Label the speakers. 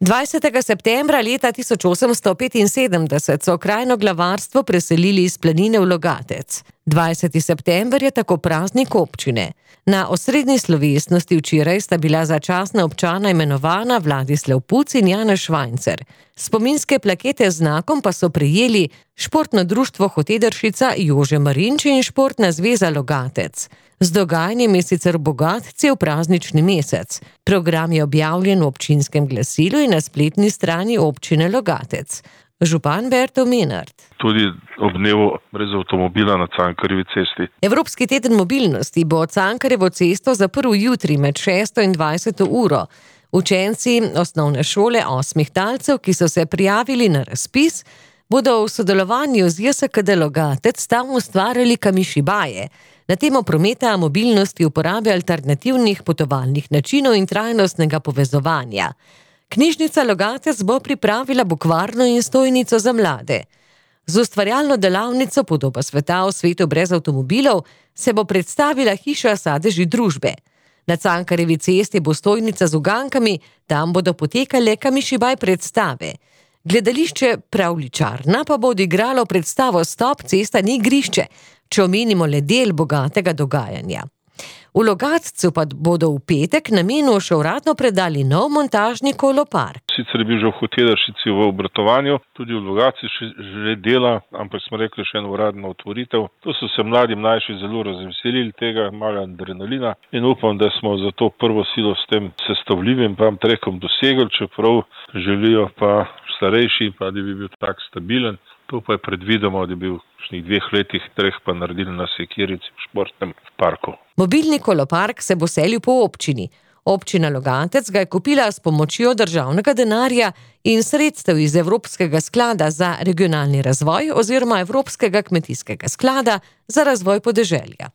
Speaker 1: 20. septembra leta 1875 so krajno glavarstvo preselili iz Planine v Logatec. 20. september je tako praznik občine. Na osrednji slovesnosti včeraj sta bila začasna občana imenovana Vladislav Puc in Janez Švajncer. Spominske plakete z znakom pa so prejeli Športno društvo Hotedršica Jože Marinč in Športna zveza Logatec. Z dogajanjem je sicer bogat cel praznični mesec. Program je objavljen v občinskem glasilu in na spletni strani občine Logatec. Župan Berto Menard.
Speaker 2: Tudi ob dnevu brez avtomobila na Cankarjevi cesti.
Speaker 1: Evropski teden mobilnosti bo Cankarjevo cesto zaprl jutri med 6. in 20. uro. Učenci osnovne šole 8 talcev, ki so se prijavili na razpis, bodo v sodelovanju z JSKD Logatec tam ustvarjali kamishibaje na temo prometa, mobilnosti, uporabe alternativnih potovalnih načinov in trajnostnega povezovanja. Knjižnica Logatec bo pripravila bukvarno in stojnico za mlade. Z ustvarjalno delavnico Podoba sveta v svetu brez avtomobilov se bo predstavila hiša Sadeži družbe. Na Cankarjevi cesti bo stojnica z ugankami, tam bodo potekale kamišibaj predstave. Gledališče Pravljičarna pa bo odigralo predstavo Stop, cesta ni igrišče, če omenimo le del bogatega dogajanja. V Logatcu pa bodo v petek namenu še uradno predali nov montažni kolopark.
Speaker 2: Sicer je bil že v Hotedršici v obratovanju, tudi v Logatcu že dela, ampak smo rekli še eno uradno otvoritev. Tu so se mlajši zelo razveselili tega, malo adrenalina in upam, da smo za to prvo silo s tem sestavljivim trekom dosegli, čeprav želijo pa starejši, pa da bi bil tak stabilen. To pa je predvidoma, da bi v 2 letih, 3 pa naredili na Sekirici v športnem parku.
Speaker 1: Mobilni kolopark se bo selil po občini. Občina Logatec ga je kupila s pomočjo državnega denarja in sredstev iz Evropskega sklada za regionalni razvoj oziroma Evropskega kmetijskega sklada za razvoj podeželja.